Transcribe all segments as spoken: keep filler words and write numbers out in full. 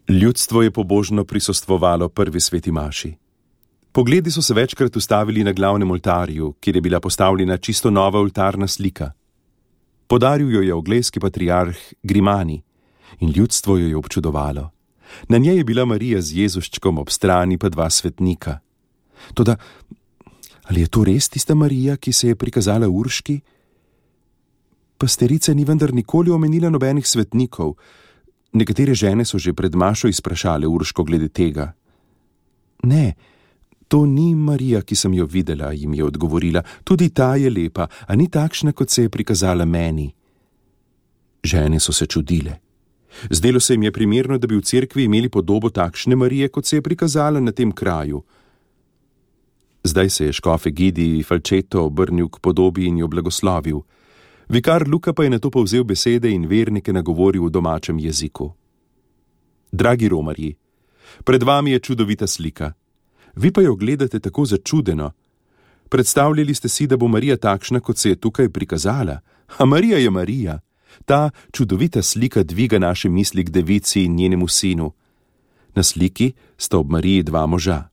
Ljudstvo je pobožno prisostvovalo prvi sveti maši. Pogledi so se večkrat ustavili na glavnem oltarju, kjer je bila postavljena čisto nova oltarna slika. Podaril jo je angleški patriarh Grimani in ljudstvo jo je občudovalo. Na njej je bila Marija z Jezuščkom, ob strani pa dva svetnika. Toda, ali je to res tista Marija, ki se je prikazala Urški? Pasterica ni vendar nikoli omenila nobenih svetnikov. Nekatere žene so že pred mašo izprašale Urško glede tega. Ne, to ni Marija, ki sem jo videla, jim je odgovorila. Tudi ta je lepa, a ni takšna, kot se je prikazala meni. Žene so se čudile. Zdelo se jim je primerno, da bi v cerkvi imeli podobo takšne Marije, kot se je prikazala na tem kraju. Zdaj se je škof Egidij Falčeto obrnil k podobi in jo blagoslovil. Vikar Luka pa je nato povzel besede in vernike nagovoril v domačem jeziku. Dragi romarji, pred vami je čudovita slika. Vi pa jo gledate tako začudeno. Predstavljali ste si, da bo Marija takšna, kot se je tukaj prikazala. A Marija je Marija. Ta čudovita slika dviga naše misli k devici in njenemu sinu. Na sliki sta ob Mariji dva moža.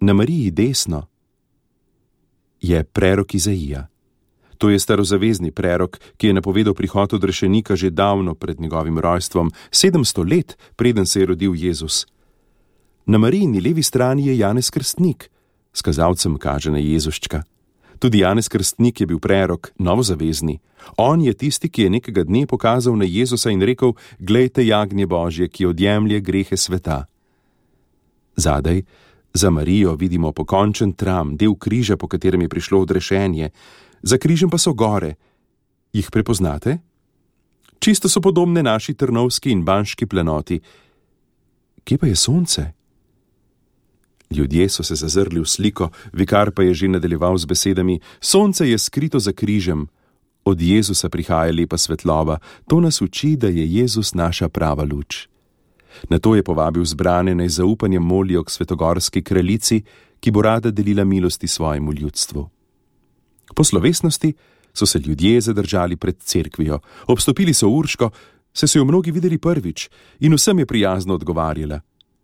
Na Mariji desno je prerok Izaija. To je starozavezni prerok, ki je napovedal prihod odrešenika že davno pred njegovim rojstvom, sedemsto let, preden se je rodil Jezus. Na Marijini levi strani je Janez Krstnik, s kazalcem kaže na Jezuščka. Tudi Janez Krstnik je bil prerok, novozavezni. On je tisti, ki je nekega dne pokazal na Jezusa in rekel: glejte jagnje Božje, ki odjemlje grehe sveta. Zadaj, za Marijo, vidimo pokončen tram, del križa, po katerem je prišlo odrešenje. Za križem pa so gore. Jih prepoznate? Čisto so podobne naši trnovski in banški plenoti. Kje pa je sonce? Ljudje so se zazrli v sliko, vikar pa je že nadaljeval z besedami: sonce je skrito za križem. Od Jezusa prihaja lepa svetloba. To nas uči, da je Jezus naša prava luč. Nato je povabil zbrane, naj zaupanjem molijo k svetogorski kraljici, ki bo rada delila milosti svojemu ljudstvu. Po slovesnosti so se ljudje zadržali pred cerkvijo. Obstopili so Urško, saj so jo mnogi videli prvič, in vsem je prijazno odgovarjala,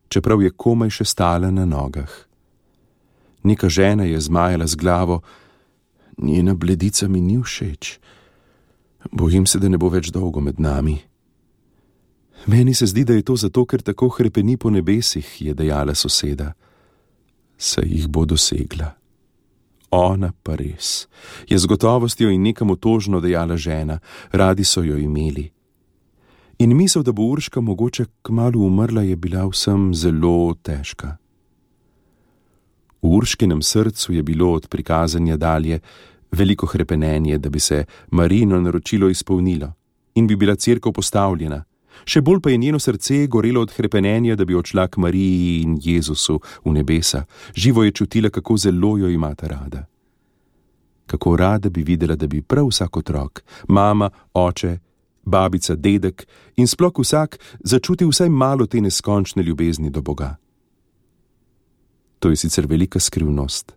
čeprav je komaj še stala na nogah. Neka žena je zmajala z glavo: njena bledica mi ni všeč. Bojim se, da ne bo več dolgo med nami. Meni se zdi, da je to zato, ker tako hrepeni po nebesih, je dejala soseda. Saj jih bo dosegla. Ona pa res, je z gotovostjo in nekam otožno dejala žena, radi so jo imeli. In misel, da bo Urška mogoče kmalu umrla, je bila vsem zelo težka. V Urškinem srcu je bilo od prikazanja dalje veliko hrepenenje, da bi se Marijino naročilo izpolnilo in bi bila cerkev postavljena. Še bolj pa je njeno srce gorelo od hrepenenja, da bi odšla k Mariji in Jezusu v nebesa. Živo je čutila, kako zelo jo imata rada. Kako rada bi videla, da bi prav vsak otrok, mama, oče, babica, dedek in sploh vsak začutil vsaj malo te neskončne ljubezni do Boga. To je sicer velika skrivnost.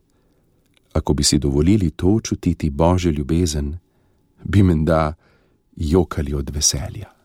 Ako bi si dovolili to čutiti Božjo ljubezen, bi menda jokali od veselja.